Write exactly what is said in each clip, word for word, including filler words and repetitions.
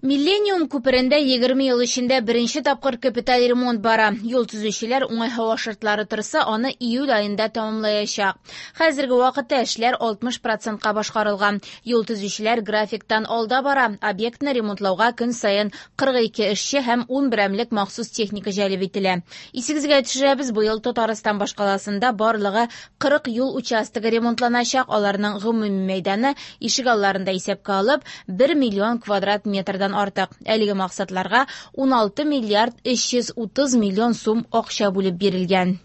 Миллениум күперендә егерме ел эчендә беренче тапкыр капиталь ремонт бара. Юл төзүчеләр уңай һава шартлары торса, аны июль аенда тәмамлаячак. Хәзерге вакытта эшләр алтмыш процентка башкарылган. Юл төзүчеләр графиктан алда бара. Объектны ремонтлауга көн саен кырык ике эшче һәм ун берәмлек махсус техника җәлеп ителә. Исегезгә төшерәбез, быел Татарстан башкаласында барлыгы кырык юл участогы ремонтланачак. Аларның гомуми мәйданы ишегалларында исәпкә алып бер миллион квадрат метрдан артык. Әлеге максатларга ун алты миллиард өч йөз утыз миллион сум акча бүлеп бирелгән.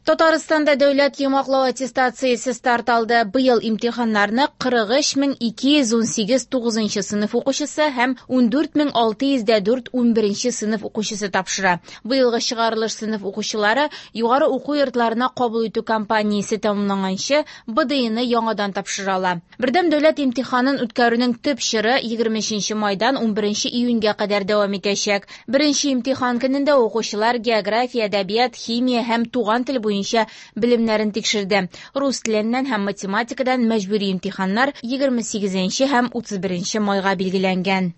Татарстанда дәүләт йомгаклау аттестациясе старт алды. Быел имтиханнарны кырык өч мең ике йөз ун сигез тугызынчы сыйныф укучысы һәм ун дүрт мең алты йөз дә дүрт ун беренче сыйныф укучысы тапшыра. Быелгы чыгарылыш сыйныф укучылары югары уку йортларына кабул итү кампаниясе тәмамланганчы Б Д И-ны яңадан тапшыра ала. Бердәм дәүләт имтиханын үткәрүнең төп чоры егерме өченче майдан ун беренче июньгә кадәр дәвам итәчәк. Беренче имтихан көнендә укучылар география, әдәбият, химия һәм туган тел буенча белемнәрен тикшерде. Рус теленнән һәм математикадан мәҗбүри имтиханнар егерме сигезенче һәм утыз беренче майга билгеләнгән.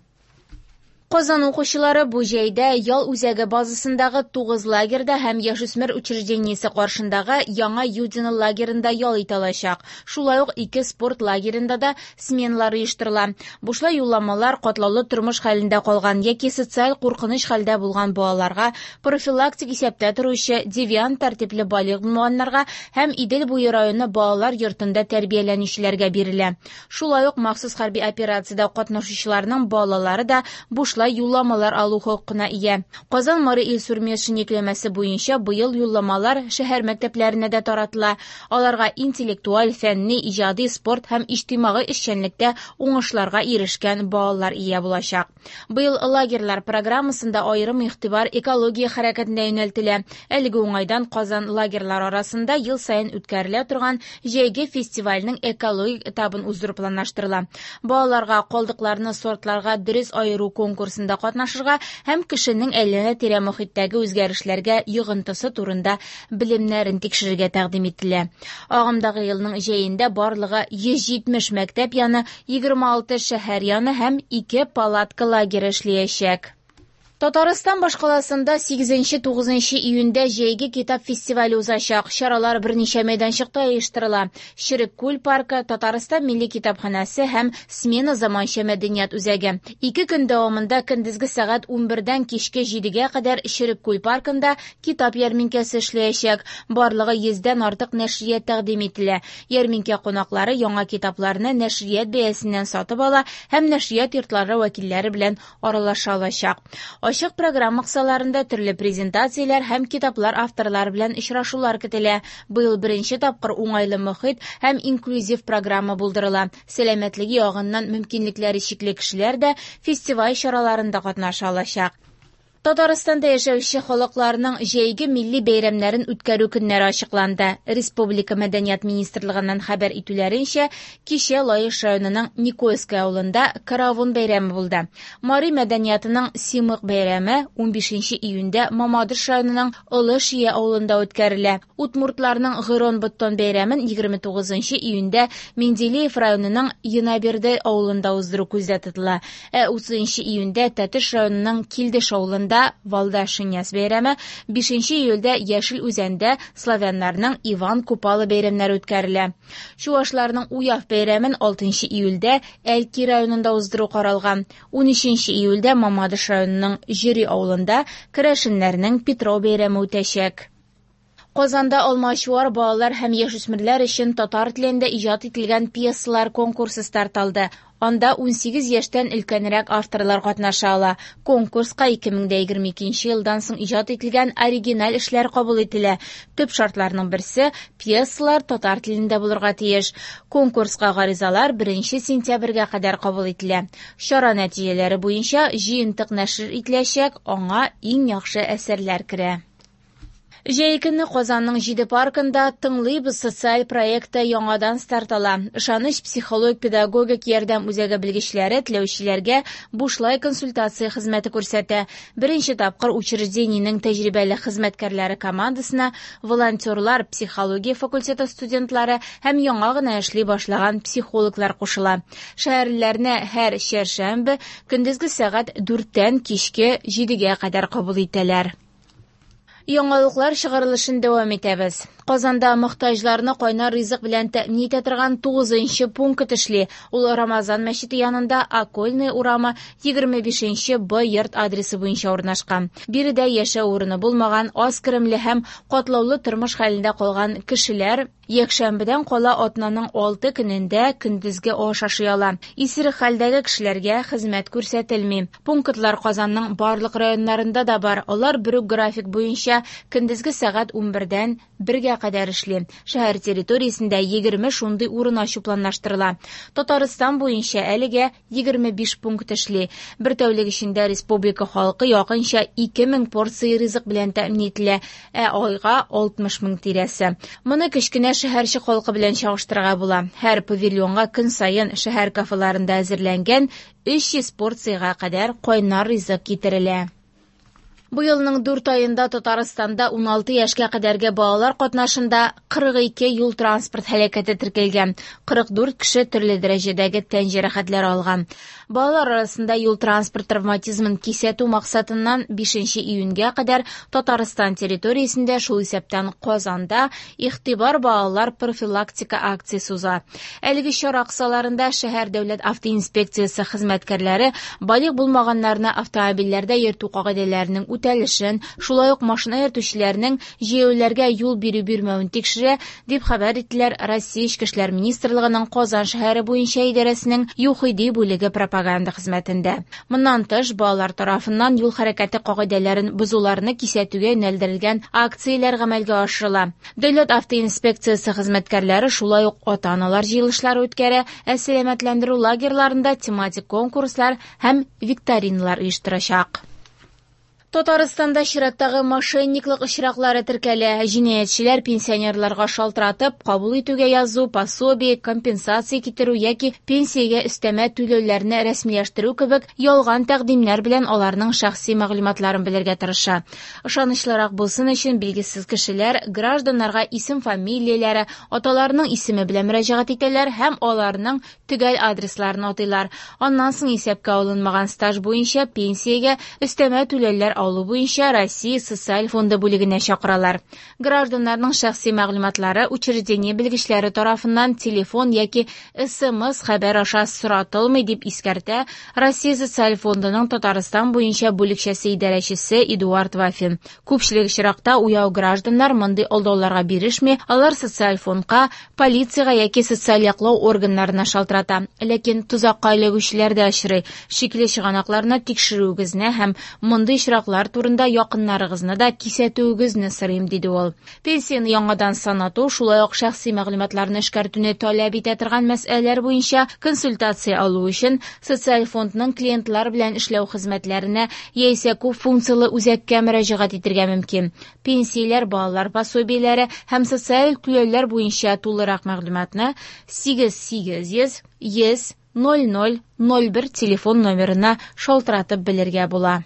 Казан укучылары бу җәйдә ял үзәге базасындагы тугыз лагерьда һәм яшүсмер учреждениесе каршындагы Яңа Юдино лагерында ял итә алачак. Шулай ук ике спорт лагерында да сменалар оештырыла. Бушлай юлламалар катлаулы тормыш хәлендә калган яки социаль куркыныч хәлдә булган балаларга, профилактик исәптә торучы девиант тәртипле балигъ булмаганнарга һәм Идел буе районы балалар йортында тәрбияләнүчеләргә бирелә. Шулай ук махсус хәрби операциядә катнашучыларның балалары да бушлай юлламалар алу хокукына ия. Казан Мари Илсур Метшин йөкләмәсе буенча быел юлламалар шәһәр мәктәпләренә дә таратыла. Аларга интеллектуаль, фәнни, иҗади, спорт һәм иҗтимагый эшчәнлектә уңышларга ирешкән балалар ия булачак. Быел лагерьлар программасында аерым игътибар экология хәрәкәтенә юнәлтелә. Әлеге уңайдан Казан лагерьлар арасында ел саен үткәрелә торган җәйге фестивальнең экологик этабын уздыру планлаштырыла. Балаларга калдыкларны сортларга дөрес аеру конкурсында катнашырга һәм кешенең әйләнә-тирә мохиттәге үзгәрешләргә йогынтысы турында белемнәрен тикшерергә тәкъдим ителә. Агымдагы елның җәендә барлыгы йөз җитмеш мәктәп яны, егерме алты шәһәр яны һәм ике палатка лагере эшләячәк. Татарстан башкаласында сигезенче тугызынчы июньдә җәйге китап фестивале узачак. Чаралар берничә мәйданчыкта оештырыла. Черек күл паркы, Татарстан милли китапханәсе һәм Смена заманча мәдәният үзәге. Ике көн дәвамында көндезге сәгать унбердән кичке җидегә кадәр Черек күл паркында китап ярминкәсе эшләячәк. Барлыгы йөздән артык нәшрият тәкъдим ителә. Ярминкә кунаклары яңа китапларны нәшрият бәясеннән сатып ала һәм нәшрият йортлары вәкилләре белән аралаша алачак. Ачык программа кысаларында төрле презентацияләр һәм китаплар авторлары белән очрашулар көтелә. Быел беренче тапкыр уңайлы мохит һәм инклюзив программа булдырыла. Сәламәтлеге ягыннан мөмкинлекләре чикле кешеләр дә фестиваль чараларында катнаша алачак. Татарстанда яшәүче халыкларның җәйге милли бәйрәмнәрен үткәрү көннәре ачыкланды. Республика Мәдәният министрлыгыннан хәбәр итүләренчә, кичә Лаеш районының Никольское авылында Каравон бәйрәме булды. Мари мәдәниятының Симык бәйрәме унбишенче июньдә Мамадыш районының Олы Шия авылында үткәрелә. Удмуртларның Гырон-Быдтон бәйрәмен егерме тугызынчы июньдә Менделеев районының Янаберде авылында уздыру күздә тотыла. Ә утызынчы июньдә Тәтеш районының Килдеш авылында Валда Шиняс бәйрәме, бишенче июльдә Яшел Үзәндә славяннарның Иван Купала бәйрәмнәре үткәрелә. Чуашларның Уяв бәйрәмен алтынчы июльдә Әлки районында уздыру каралган. Унөченче июльдә Мамадыш районының Җөри авылында керәшеннәрнең Петров бәйрәме үтәчәк. Казанда алмачуар балалар һәм яшүсмерләр өчен татар телендә иҗат ителгән пьесалар конкурсы старт алды. Анда унсигез яшьтән өлкәнрәк авторлар катнаша ала. Конкурска ике мең дә егерме икенче елдан соң иҗат ителгән оригиналь эшләр кабул ителә. Төп шартларның берсе пьесалар татар телендә булырга тиеш. Конкурска гаризалар беренче сентябрьгә кадәр кабул ителә. Чара нәтиҗәләре буенча җыентык нәшер ителәчәк, аңа иң яхшы әсәрләр керә. Җәй көне Казанның җиде паркында «Тыңлыйбыз» социаль проекты яңадан старт ала. «Ышаныч» психологик-педагогик ярдәм үзәге белгечләре теләүчеләргә бушлай консультация хезмәте күрсәтә. Беренче тапкыр учреждениенең тәҗрибәле хезмәткәрләре командасына волонтерлар, психология факультеты студентлары һәм яңа гына эшли башлаган психологлар кушыла. Шәһәрлеләрне һәр чәршәмбе көндезге сәгать дүрттән кичке җидегә кадәр кабул итәләр. Яңалыклар чыгарылышын дәвам итәбез. Казанда мохтаҗларны кайнар ризык белән тәэмин итә торган тугызынчы пункт эшли. Ул Рамазан мәчете янында Окольный урамы егерме бишенче Б йорт адресы буенча урнашкан. Биредә яшәү урыны булмаган, аз керемле һәм катлаулы тормыш хәлендә калган кешеләр якшәмбедән кала атнаның алты көнендә көндезге аш ашый ала. Исерек хәлдәге кешеләргә хезмәт күрсәтелми. Пунктлар Казанның барлык районнарында да бар. Алар бер үк график буенча көндезге сәгать унбердән бергә кадәр эшли. Шәһәр территориясендә егерме шундый урын ачу планлаштырыла. Татарстан буенча әлегә егерме биш пункт эшли. Бер тәүлек эчендә республика халкы якынча ике мең порция ризык белән тәэмин ителә, ә айга алтмыш мең тирәсе. Моны кечкенә шәһәрчек халкы белән чагыштырырга була. Һәр павильонга көн саен шәһәр кафеларында әзерләнгән өч йөз порциягә кадәр кайнар ризык китерелә. Бу елның дүрт аенда Татарстанда уналты яшькә кадәрге балалар катнашында кырык ике юл транспорт һәлакәте теркәлгән. Кырык дүрт кеше төрле дәрәҗәдәге тән җәрәхәтләре алган. Балалар арасында юл транспорт травматизмын кисәтү максатыннан бишенче июньгә кадәр Татарстан территориясендә, шул исәптән Казанда, Игътибар балалар профилактика акциясе уза. Әлеге чара кысаларында шәһәр дәүләт автоинспекциясе хезмәткәрләре балигъ булмаганнарны автомобильләрдә йөртү кагыйдәләренең үтәлешен, шулай ук машина йөртүчеләрнең җәяүлеләргә юл бирү-бирмәвен тикшерә, дип хәбәр иттеләр Россия Эчке эшләр министрлыгының Казан шәһәре буенча идарәсенең ЮХИДИ бүлеге пропаганда хезмәтендә. Моннан тыш, балалар тарафыннан юл хәрәкәте кагыйдәләрен бозуларны кисәтүгә юнәлдерелгән акцияләр гамәлгә ашырыла. Дәүләт автоинспекциясе хезмәткәрләре шулай ук ата-аналар җыелышлары үткәрә, ә сәламәтләндерү лагерьларында тематик конкурслар һәм викториналар оештырачак. Татарстанда чираттагы мошенниклык очраклары теркәлә. Җинаятьчеләр пенсионерларга шалтыратып, кабул итүгә язу, пособие, компенсация китерү яки пенсиягә өстәмә түләүләрне рәсмиләштерү кебек ялган тәкъдимнәр белән аларның шәхси мәгълүматларын белергә тырыша. Ышанычлырак булсын өчен билгесез кешеләр гражданнарга исем-фамилияләре, аталарының исеме белән мөрәҗәгать итәләр һәм аларның төгәл адресларын атыйлар. Аннан соң исәпкә алынмаган стаж буенча пенсиягә өстәмә түләүләр алу буенча Россия социаль фонды бүлегенә чакыралар. Гражданнарның шәхси мәгълүматлары учреждение белгечләре тарафыннан телефон яки СМС хәбәр аша соратылмый, дип искәртә Россия социаль фондының Татарстан буенча бүлекчәсе идарәчесе Эдуард Вафин. Күпчелек очракта уяу гражданнар мондый алдауларга бирешми, алар социаль фондка, полициягә яки социаль яклау органнарына шалтырата. Ләкин тозакка эләгүчеләр дә очрый. Шикле чыганакларны тикшерүегезне һәм мондый очраклар турында якыннарыгызны да кисәтүегезне сорыйм, диде ул. Пенсияне яңадан санату, шулай ук шәхси мәгълүматларны эшкәртүне таләп итә торган мәсьәләләр буенча консультация алу өчен социаль фондның клиентлар белән эшләү хезмәтләренә яисә күп функцияле үзәккә мөрәҗәгать итәргә мөмкин. Пенсияләр, балалар пособиеләре һәм социаль түләүләр буенча тулырак мәгълүматны сигез сигез йөз йөз ноль ноль ноль бер телефон номерына шалтыратып белергә була.